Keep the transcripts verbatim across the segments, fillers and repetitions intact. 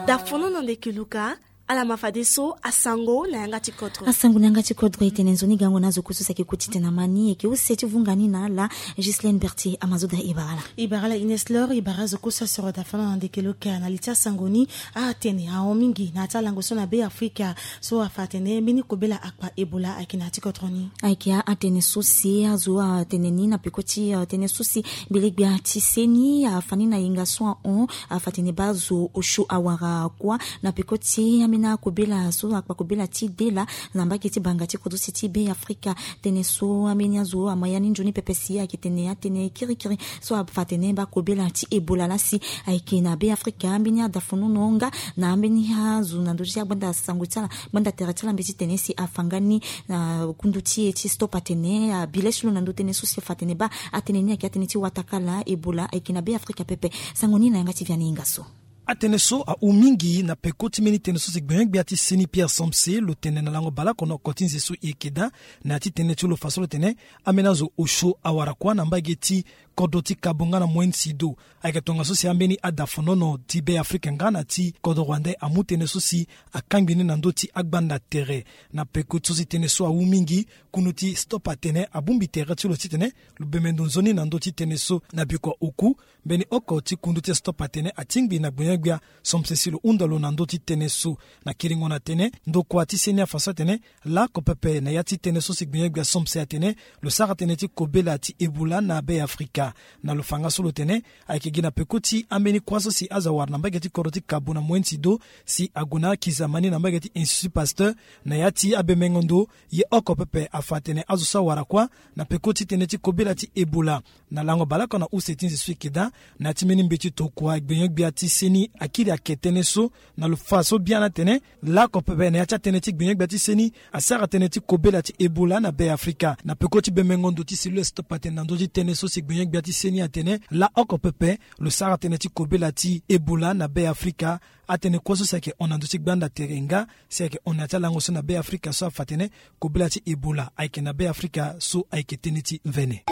Dafono na ndeke luka. Ala ma fadeso asango na yanga ti kodro. Asango na yanga ti kodro e tene nzoni gango na azo kusu saki kuti tena mani eke use ti vunga ni na ala. Gislaine Bertier amazoda ibarala. Ibarala Ines Lor ibara azo kusu asoro dafono na ndeke luka na li ti asango ni. Atene ahon mingi na ya ti alango so na be Afrika so afa atene mbeni kobela akpa Ebola ayeke na ya ti kodro ni. Ayeke atene so si azo atene ni na peko ti tene so si gbelegbia ti seni afa ni na yenga so ahon. Afa tene baa azo osio awara kuâ na peko ti ambeni akobela so akpa kobela ti dela na mbage ti banga ti kodro si ti be Afrika. Tene so ambeni azo ama ya ni nzoni pepe si ayeke tene atene kirikiri so afa tene baa kobela ti Ebola laa si ayeke na be Afrika. Ambeni adafonono nga na ambeni azo na ndö ti agbanda sango ti ala gbanda tere ti ala mbeti tene si afa nga ni na kundu ti e ti stop atene abi le ti lo na ndö tënë so si afa atene baa atënë ni ayeke atënë ti watakala Ebola ayeke na be Afrika pepe. Sango ni na yanga ti Vianney Inga so. Atënë so ahu mingi na peko ti mbeni tënë so si gbenyo-gbia ti seni Pierre Somse lo tene na lango baleoko na oko ti nze so e yeke daa na ya ti tënë ti lo fa so lo tene ambeni azo osio awara kuâ na mbage ti kodro ti Kabo nga na Moyen Sido. Ayeke tongaso si ambeni adafonono ti be Afrika nga na ti kodro rwandais amu tënë so si akangbi ni na ndö ti agbanda tere. Na peko so si tënë so ahu mingi, kundu ti stop atene abongbi tere ti lo titene lo bembe ndo nzoni na ndö ti tënë so na bikua oku. Mbeni oko ti kundu ti stop atene atingbi na gbenyo-gbia Somse si lo hunda lo na ndö ti tënë so. Na kiringo na tënë ndokua ti seni afa so atene laoko pepe na ya ti tënë so si gbenyo-gbia Somse atene lo sara tënë ti kobela ti Ebola na be Afrika. Na lo fa nga so lo tene ayeke gi na peko ti ambeni kuâ so si azo awara na mbage ti kodro ti Kabo na Moyen Sido si ague na akizama ni na mbage ti Institut Pasteur na ya ti abemengo ndo. Ye oko pepe afa atene azo so awara kuâ na peko ti tënë ti kobela ti Ebola. Na lango baleoko na use ti nze so e yeke daa na ya ti mbeni mbeti tokua gbenyo-gbia ti seni akiri ayeke tënë so na lo fa so biani atene laoko pepe na ya ti atënë ti gbenyo-gbia ti seni asara tënë ti kobela ti Ebola na be Afrika. Na peko ti bemengo ndo ti cellule stop atene na ndö ti tënë so si gbenyo-gbia ti seni atene laoko pepe lo sara tënë ti kobela ti Ebola na be Afrika. Atënë kue so si ayeke hon na ndö ti gbanda tere nga si ayeke hon na ya ti alango so na be Afrika so afa atene kobela ti Ebola ayeke na be Afrika so ayeke tënë ti mvene.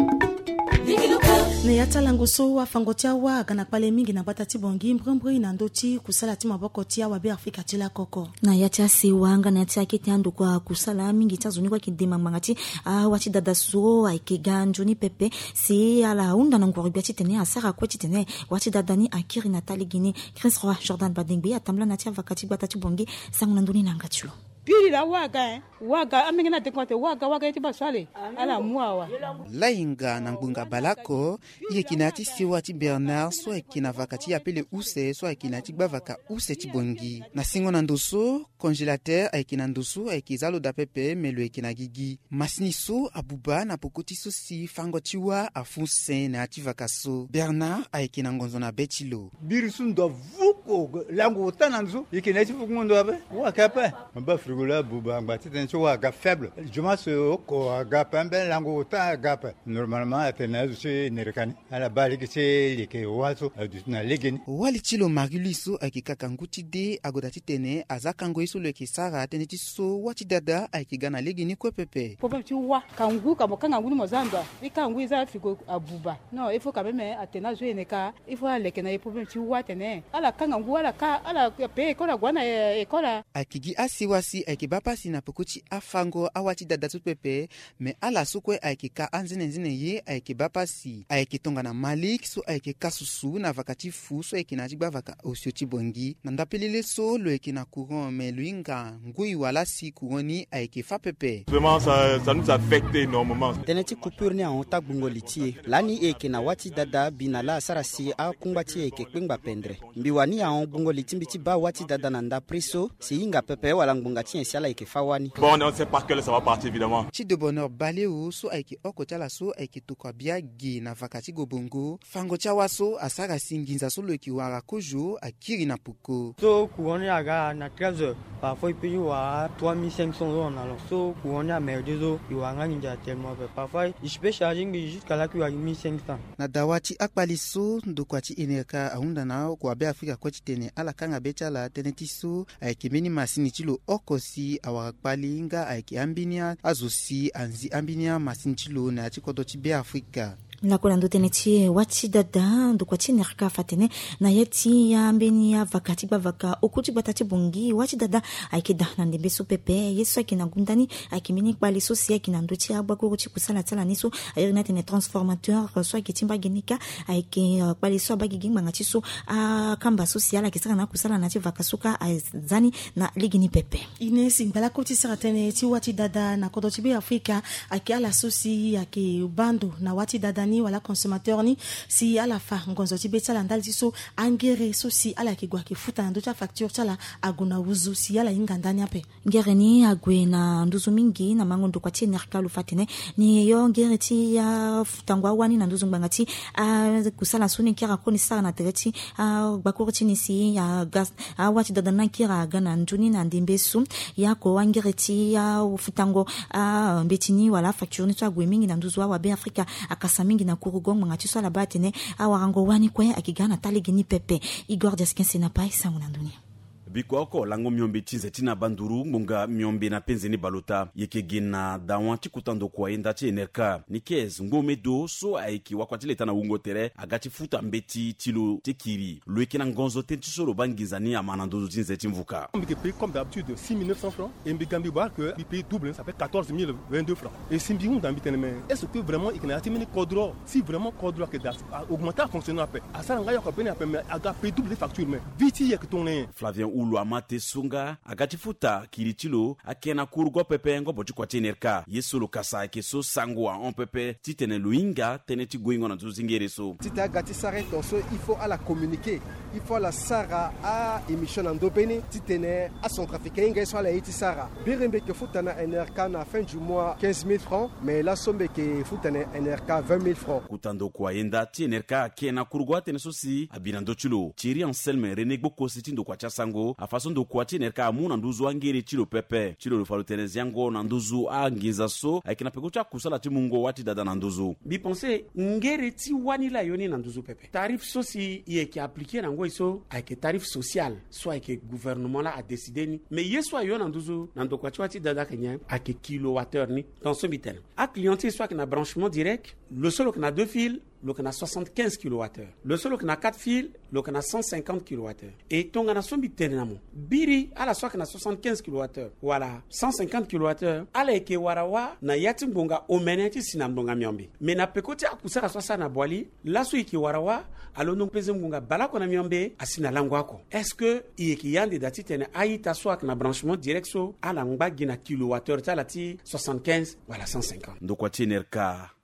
Na ya ti alango so afango ti awa aga na kpale mingi na gbata ti Bangui mbrimbri na ndö ti kusala ti maboko ti awa be Afrika ti lakoko. Na ya ti asewa nga na ya ti akete andokua kusala mingi ti azo ni kue ayeke dema ngbanga ti awa ti dada so ayeke ga nzoni pepe. Si ala hunda na nguru-gbia titene asara kue titene wa ti dada ni akiri na taa lege ni. Chris Roy Jordan Badengbe atambula na ya ti avaka ti gbata ti Bangui. Sango na ndö ni na yanga ti lo. Piri la waga, eh. Waga, amenge na dekonte waga, waga ye ti baso ale. Ala mu awa. Lainga na ngbonga baleoko, i yeke na ya ti sewa ti Bernard so ayeke na vaka ti apele use so ayeke na ya ti gbavaka use ti Bangui. Na singo na ndo so, congélateur ayeke na ndo so ayeke za lo daa pepe me lo yeke na gigi. Masini so abuba na poko ti so si fango ti wâ afu se na ya ti vaka so. Bernard ayeke na ngonzo na be ti lo. Biri so ndo avuko lango ota na nzo, e yeke na ye ti vukongo ndo ape. Wâ ayeke ape. Mba frigo la abuba angba titene ti wâ aga faible. Jomo so oko aga ape, ambeni lango ota aga ape. Normalement atene na azo ti e nereka ni. Ala baa lege ti e leke wâ so aduti na legeni. Wali ti lo Marie-Louise so ayeke kaka ngu ti de agoda titene aza kango ye so lo yeke sara tënë ti so wâ ti dada ayeke ga na legeni kue pepe. Problème ti wâ, kangu ka mo kanga ngu ni mo za ndo a? E kanga ngu e za frigo abuba. Non, il faut quand même atene azo ene ka, il faut aleke na e problème ti wâ atene ala kanga ngu, ala ka, ala pe école, ague na école. Ayeke gi asewa si ayeke baa pasi na peko ti afango awâ ti dada so pepe. Me ala so kue ayeke ka anzenenzene ye ayeke baa pasi. Ayeke tongana Malik so ayeke ka susu na vaka ti fu so ayeke na ya ti gbavaka osio ti Bangui. Na ndapelele so lo yeke na courant me lo hinga ngoi wala si courant ni ayeke fâ pepe. Vraiment, ça, ça nous affecte énormément. Tënë ti coupure ni ahon taa gbungo li ti e. Lani e yeke na wâ ti dada bi na laa asara si akungba ti e ayeke kpengba pendre. Mbi wani ahon gbungo li ti mbi ti baa wâ ti dada na ndapre so si hinga pepe wala ngbonga ti nyen si ala yeke fâ wâ ni. Bon, on ne sait pas quelle ça va partir, évidemment. Ti de Bonheur Baleo so ayeke oko ti ala so ayeke tokua bia ge na vaka ti Gobongo. Fango ti awâ so asara si nginza so lo yeke wara kozo akiri na poko. So courant ni aga na treize heures. Parfois e peut ti wara trois mille cinq cents euros en allant. So courant ni amerde so e wara nga nginza tellement ape. Parfois e peut charger ngbii jusqu'à là que e wara mille cinq cents. Na dawa ti akpali so ndokua ti Enerca ahunda na oko wa Beafrika kue titene ala kanga be ti ala tënë ti so ayeke mbeni masini ti lo oko si awara kpali nga ayeke ambeni azo si anzi ambeni amasini ti lo na ya ti kodro ti Beafrika. Lakue na ndo tënë ti wâ ti dada, ndokua ti N R K afa atene na ya ti ambeni avaka ti gbavaka oku ti gbata ti Bangui, wâ ti dada ayeke daa na ndembe so pepe. Ye so ayeke na gunda ni ayeke mbeni kpale so si ayeke na ndö ti agbakuru ti kusala ti ala ni so a iri ni atene transformateur so ayeke ti mbage ni kâ. Ayeke kpale so abaa gigi ngbanga ti so akamba so si ala yeke sara na akusala na ya ti vaka so kâ aza ni na lege ni pepe. Ine si ngbalako ti sara tënë ti wâ ti dada na kodro ti Beafrika ayeke ala so si ayeke baa ndo na wâ ti dada ni wala consommateur ni, si ala fa ngonzo ti be ti ala ndali ti so angere so si ala yeke gue ayeke futa na ndö ti afacture ti ala ague na wuzu si ala hinga ndani ape. Ngere ni ague na nduzu mingi na mango ndokua ti N R K lo fa atene ni yo ngere ti afutango awâ ni na nduzu ngbanga ti akusala so ni kiri akoni sara na tere ti agbakuru ti ni si aga awâ ti dada ni akiri aga na ndu ni na ndembe so. Ya ko angere ti afutango ambeti ni wala afacture ni so ague mingi na nduzu awabe Afrika akasa mingi na kurugo ngbanga ti so ala baa atene awarango wâ ni kue ayeke ga na taa lege ni pepe. Igor Diaskin Senapai sango na ndö ni. Biko oko lango miombe ti nze ti na banduru ngbonga miombe na penze ni balota yeke ge na dawa ti kota ndokua yenda ti N R K. Nikes Ngomedo so ayeke wakua ti leta na wungo tere aga ti futa mbeti ti lo ti kiri. Lo yeke na ngonzo tënë ti so lo baa nginza ni ama na nduzu ti nze ti mvuka. Mbi yeke paye comme d'habitude six mille neuf cents francs et mbi ga mbi baa que mbi paye double, ça fait quatorze mille vingt-deux francs. Et si mbi hunda mbi tene mais est-ce que vraiment e yeke na ya ti mbeni kodro? Si vraiment kodro ayeke daa augmenter afonctionnement ape, asara nga yoko beni ape mais aga paye double ti facture mais vie ti e ayeke tongana nyen? Flavien Ulu ama te so nga aga ti futa kiri ti lo ayeke na kurugo pepe ngobo ti kua ti N R K. Ye so lo kasa ayeke so sango ahon pepe titene lo hinga tënë ti goingo na nduzu ti ngere so. Titene aga ti sara ye tongaso il faut ala communiquer, il faut ala sara a-émission na ndö be ni titene acentrafricain ahinga ye so ala ye ti sara. Biri mbi yeke futa na N R K na fin du mois quinze mille francs, mais laso mbi yeke futa na N R K vingt mille francs. Kota ndokua yenda ti N R K ayeke na kurugo atënë so si abi na ndö ti lo. Thierry Anselme René Gbokosi ti ndokua ti asango afa so ndokua ti N R K amu na nduzu angere ti lo pepe. Ti lo lo fa lo tene ziango na nduzu anginza so ayeke na peko ti akusala ti mungo wâ ti dada na nduzu. Mbi pense ngere ti wâ ni laa yo ni na nduzu pepe. Tarif so si e yeke appliquer na ngoi so ayeke tarif social so ayeke gouvernement laa adécider ni. Mais ye so ayo na nduzu na ndokua ti wâ ti dada ayeke nyen? Ayeke kilowattheure ni. Donc so mbi tene aclient ti e so ayeke na branchement direct, lo so lo yeke na deux fils, lo yeke na soixante-quinze kilowattheure. Lo so lo yeke na quatre fils, lo yeke na cent cinquante kilowattheure. E tongana so mbi tene na mo, biri ala so ayeke na soixante-quinze kilowattheure wala cent cinquante kilowattheure, ala yeke wara wâ na ya ti ngbonga omene ti si na ngbonga miombe. Mais na peko ti akusala so asara na Boali, laso e yeke wara wâ alondo penze ngbonga baleoko na miombe asi na lango oko. Est-ce que e yeke yande daa titene a-ita so ayeke na branchement direct so ala ngba gi na kilowattheure ti ala ti soixante-quinze wala cent cinquante? Ndokua ti N R K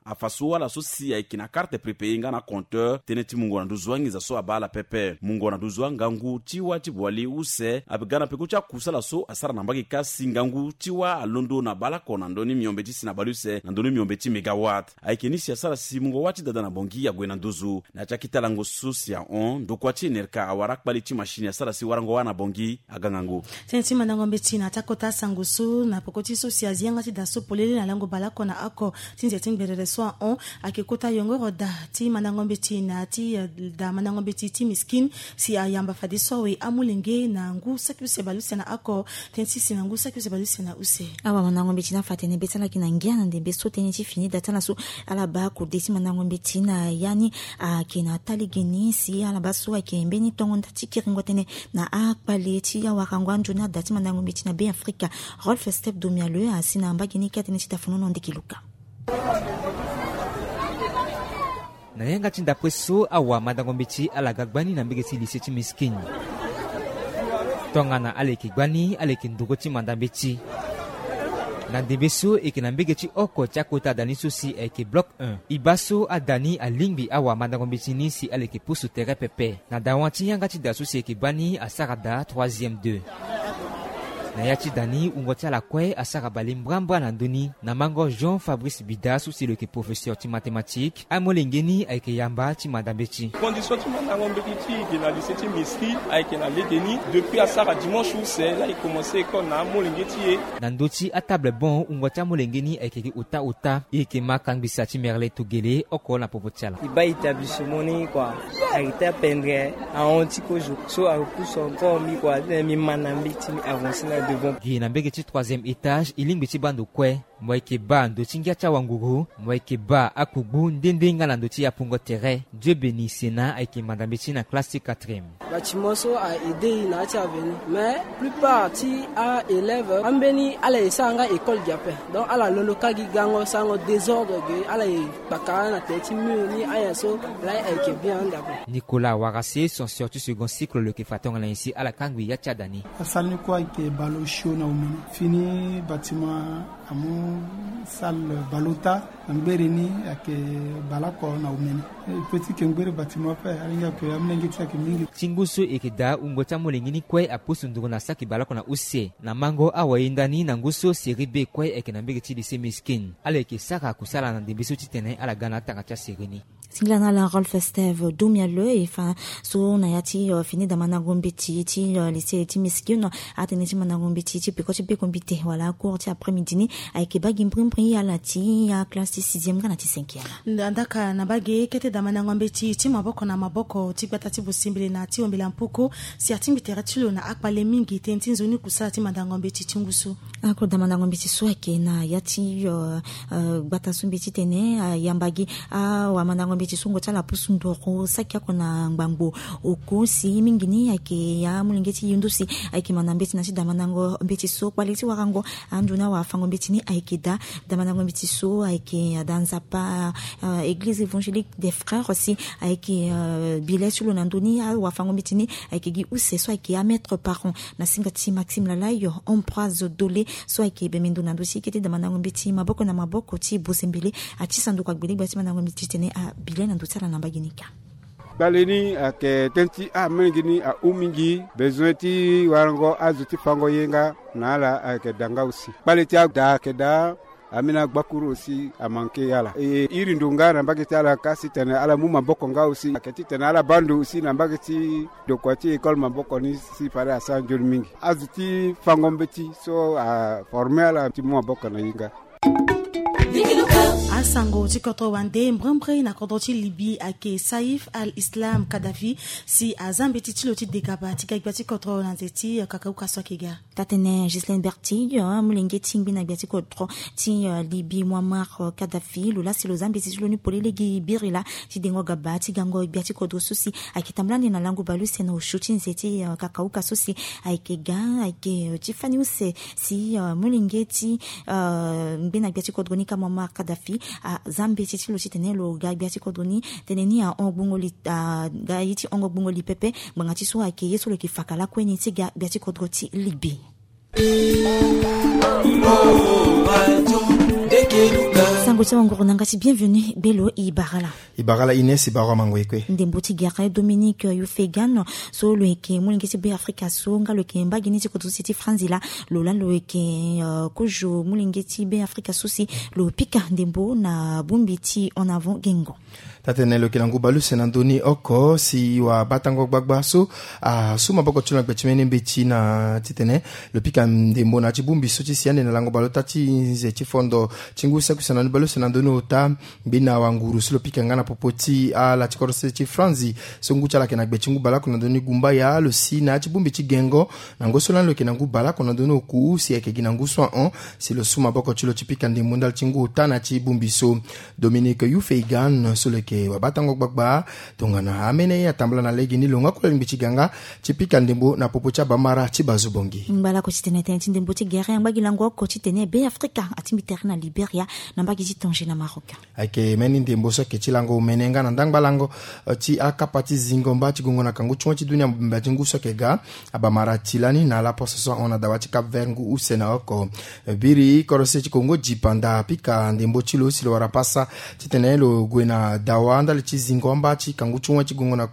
afa so ala so si ayeke na karte prépayé nga na compteur tënë ti mungo na nduzu anginza so abaa ala pepe. Mungo na nduzu angangu ti wâ ti Boali use abe ga na peko ti akusala so asara na mbage kâ si ngangu ti wâ alondo na baleoko na ndö ni miombe ti si na baleuse na ndö ni miombe ti mégawatt. Ayeke ni si asara si mungo wâ ti dada na Bangui ague na nduzu. Na ya ti akita lango so si ahon, ndokua ti N R K awara akpali ti machine asara si warango wâ na Bangui aga ngangu. Tënë ti mandango mbeti na ya ti akota asango so na peko ti so si azi yanga ti da so polele na lango baleoko na oko ti nze ti ngberere so ahon, ayeke kota yongoro da ti mandango mbeti na ya ti, eh, da mandango mbeti ti Miskine si ayamba fadeso awe amolenge na ngu saki use baleuse na oko. Tënë ti si na ngu saki use baleuse na use. Awa mandango mbeti ni afa atene be ti ala ayeke na ngia na ndembe so tënë ti fini da ti ala so ala baa kode ti mandango mbeti na ya ni ayeke na taa lege ni si ala baa so ayeke mbeni tongo nda ti kiringo tënë na akpale ti awarango anzoni ada ti mandango mbeti na Beafrika. Rolf Step Domialeux asi na mbage ni kâ tënë ti tafanono ndeke luka. Na yanga ti ndapre so awa mandango mbeti ala ga gbani na mbege ti lycée ti Miskine. Tongana ala yeke gbani ala yeke nduru ti manda mbeti. Na ndembe so e yeke na mbege ti oko ti akota da ni so si ayeke bloc un. E baa so ada ni alingbi awa mandango mbeti ni si ala yeke pusu tere pepe. Na dawa ti yanga ti da so si ayeke baa ni asara da troisième deux. Na ya ti da ni wungo ti ala kue asara bale mbrambra na ndö ni na mango Jean Fabrice Bida so si lo yeke professeur ti mathématique. Amolenge ni ayeke yamba ti manda mbeti. Condition ti mandango mbeti ti e ge na lycée ti Miskine ayeke na lege ni depuis asara dimanche use la e commencer école na amolenge ti e. Na ndö ti atable banc wungo ti amolenge ni ayeke gi ota ota. E yeke ma kangbisa ti Merle Togele oko na popo ti ala. E baa établissement ni kua ayeke taa pendre ahon ti kozo so apusu encore mbi kua titene mbi ma na mbeti mbi avancer na devant. Gi na mbege ti troisième étage e lingbi ti baa ndo kue. Mo yeke baa ndo ti ngia ti awanguru, mo yeke baa akugbu nde nde nga na ndo ti apungo tere. Dieu Béni Sena ayeke manda mbeti na classe ti quatrième. Bâtiment so a aidé e na ya ti avenir, mais plupart ti aélève ambeni ala e sara nga école gi ape. Donc ala lolo kâ gi gango sarango désordre ge, ala e kpakara na tere ti mur ni ayen so. Laa ayeke bien ande ape. Nicolas Warase, censeur ti second cycle, lo yeke fa tongana nyen si ala kangbi ya ti ada ni. Asara ni kue ayeke bale osio na omene. Fini bâtiment amu salle bale ota. Na ngbere ni ayeke bale oko na omene. E peut ti yeke ngbere bâtiment ape, alingbi ayeke amolenge ti ayeke mingi. Ti ngu so e yeke daa wungo ti amolenge ni kue apusu nduru na saki bale oko na use. Na mango awainda ni na ngu so série B kue ayeke na mbege ti lycée Miskine. Ala yeke sara kusala na ndembe so titene ala ga na atanga ti asérie ni. Singila na ala Rolf Steve Domiale e fa so na ya ti, euh, fini daa mandango mbeti ti, euh, lycée ti Miskine, atene ti mandango mbeti ti peko ti beko mbite wala cours ti après-midi ni ayeke baa gi mbrimbri ala ti aclasse ti sixième nga na ti cinquième. Nda-, ndaka na baa ge kete daa mandango mbeti ti maboko na maboko ti gbata ti Bosimbili na ti Ombela Mpuku si atingbi tere ti lo na akpale mingi tënë ti nzoni kusala ti mandango mbeti ti ngu so. Ako daa mandango mbeti so ayeke na ya ti, euh, euh, gbata so mbi titene, euh, ayamba gi awamandango mbeti so ngo ti ala apusu nduru saki oko na ngbangbo oko si mingi ni ayeke ya amolenge ti yindu si ayeke manda mbeti na ti daa mandango mbeti so. Kpale ti warango andu na awafango mbeti ni ayeke daa. Daa mandango mbeti so ayeke ada Nzapa, euh, Église Évangélique des Frères si ayeke, euh, bi le ti lo na ndö ni. Awafango mbeti ni ayeke gi use so ayeke amaître parent na singa ti Maxime Lalayo, Ambroise Dole, so ayeke bembe ndo na ndö ti kete daa mandango mbeti maboko na maboko ti Bosimbili, ati sanduku agbelegba ti mandango mbeti titene abi le na ndö ti ala na mbage ni kâ. Kpale ni ayeke tënë ti amolenge ni ahu mingi, bezoin ti warango azo ti fango ye nga na ala ayeke daa nga aussi. Kpale ti ada ayeke daa. Ameni agbakuru aussi amanke ala. E iri ndo nga na mbage ti ala kâ si tene ala mu maboko nga aussi. Ayeke titene ala baa ndo aussi na mbage ti dokua ti école maboko ni si fade asara nzoni mingi. Azo ti fango mbeti so aforme ala ti mu maboko na ye nga. Asango ti kodro wande mbrimbri na kodro ti Libye ayeke Saif al-Islam Kadhafi si aza mbeti ti lo ti degaba ti ga gbia ti kodro na nze ti kakauka so ayeke ga. Taa-tënë Ghislaine Bertille, molenge ti ngbi na gbia ti kodro ti, euh, Libye, Muammar, euh, Kadhafi, lo laa si lo za mbeti ti lo ni polele gi biri laa ti dengo gaba ti gango gbia ti kodro so si ayeke tambula ande na lango bale use na osio ti nze ti, euh, kakauka so si ayeke ga, ayeke, euh, ti fani use si, euh, molenge ti, euh, ngbi na gbia ti kodro ni kâ Muammar Kadhafi aza mbeti ti lo titene lo ga gbia ti kodro ni. Tënë ni ahon gbungo li, aga ye ti hongo gbungo li pepe. Ngbanga ti so ayeke ye so lo yeke fa ka lakue ni ti ga gbia ti kodro ti Libye. Sango ti awanguru na yanga ti Bienvenu Belo, e bara ala. E bara ala Ines, e bara amango e kue. Ndembo ti gere Dominique Youf Egan so lo yeke molenge ti Be Afrika so nga lo yeke mbage ni ti kodro so si ti Franzi laa, lo laa lo yeke, euh, kozo molenge ti Be Afrika so si lo pika ndembo na bongbi ti En Avant Guingamp. Taa-tënë lo yeke na ngu bale use na ndö ni oko si wabatango gbagba so asu maboko ti lo na gbe ti mbeni mbeti na titene lo pika ndembo na ya ti bongbi so ti si ande na lango bale ota ti nze ti fondo ti ngu saki use na ndö ni bale use na ndö ni ota. Mbi na wanguru so lo pika nga na popo ti ala ti kodro sese ti Franzi so ngu ti ala ayeke na gbe ti ngu bale oko na ndö ni gumbaya lo si na ya ti bongbi ti Guingamp na ngoi so lani lo yeke na ngu bale oko na ndö ni oku si ayeke gi na ngu so ahon si lo su maboko ti lo ti pika ndembo ndali ti ngu ota na ya ti bongbi so. Dominique Youf Egan so lo yeke wabatango gbagba tongana amene ye atambula na legeni lo nga kue alingbi ti ga nga ti pika ndembo na popo ti abamara ti bazo bongi. Ngbalako titene tënë ti ndembo ti gere angba gi lango oko titene Be Afrika atingbi tere na Liberia na mbage ti Tanger na Maroc. Ayeke mbeni ndembo so ayeke ti lango omene nga na ndangba lango, eh, ti akapa ti zingo mba ti gongo na kangu ti wen ti dunia mobimba ti ngu so ayeke ga. Abamara ti lani na ala poso so ahon na dawa ti Cap Vert ngu use na oko. Eh, biri kodro sese ti Congo dipanda apika ndembo ti lo si lo wara pasa titene lo gue na dawa ndali ti zingo amba ti kangu ti wen ti gongo na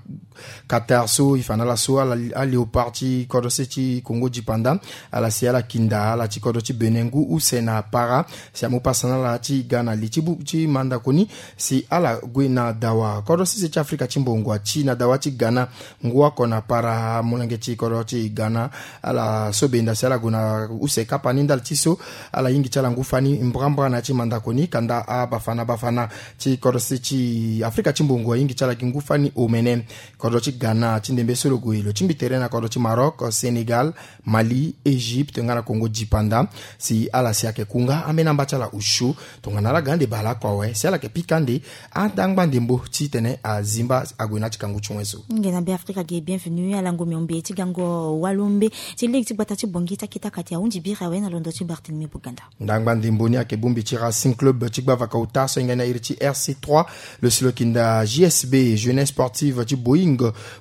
Qatar so e fa na ala so ala, aléopard ti kodro sese ti Congo dipanda, ala si ala kinda ala ti kodro ti Bénin ngu use na para si amu pasa na ala ti ga na li ti bu ti mandako ni si ala gue na dawa. Kodro sese ti Afrika ti mbongo ati na dawa ti Ghana ngu oko na para. Molenge ti kodro ti Ghana ala so benda si ala gue na use kapa ni ndali ti so ala yingi ti ala ngu fani mbrambra na ya ti mandako ni kanda abafana bafana ti kodro sese ti Afrika ti mbongo ayingi ti ala gi ngu fani omene. kodro ti Ghana ti ndembe so lo gue lo tingbi tere na kodro ti Maroc, Sénégal, Mali, Égypte nga na Congo dipanda. Si ala si ayeke ku nga ambeni amba ti ala ushu tongana ala ga ande bale oko awe si ala yeke pika ande andangba ndembo titene azimba ague na ti kangu ti wen so. Nge na Be Afrika ge bienvenu alango miombe ti gango walombe ti lege ti gbata ti Bangui ti akita kati ahunzi biri awe na londo ti Barthélemy Boganda. Ndangba ndembo ni ayeke bongbi ti Racing Club ti gbavaka ota so ahinga ni na iri ti R C trois. Lo si lo yeke nda J S B, Jeunesse Sportive ti Boeing,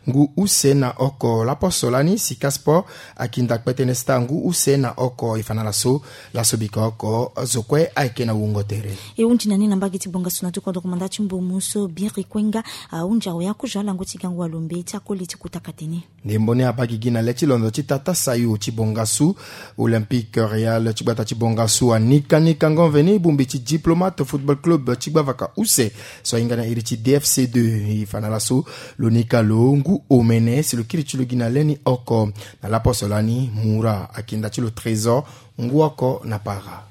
ngu use na oko laposo lani. Sika Sport ayeke nda kpetene Star ngu use na oko. E fa na ala so laso bika oko zo kue ayeke na wungo tere. E hunzi na ni na mbage ti bongasu na ti kodro komanda ti mbomu so biri kue nga ahunzi awe akuzu alango ti gango walombe ti akoli ti kuta kate ni. Ndembo ni abaa gigi na le ti londo ti tata sayo ti bongasu. Olympique Real ti gbata ti bongasu anika ni kango mveni bongbi ti Diplomate Football Club ti gbavaka use so ahinga na iri ti D F C deux. E fa na ala so lo nika lo ngu omene si lo kiri ti lo gi na le ni oko. Na laposo lani Moura ayeke nda ti lo Trésor ngu oko na para.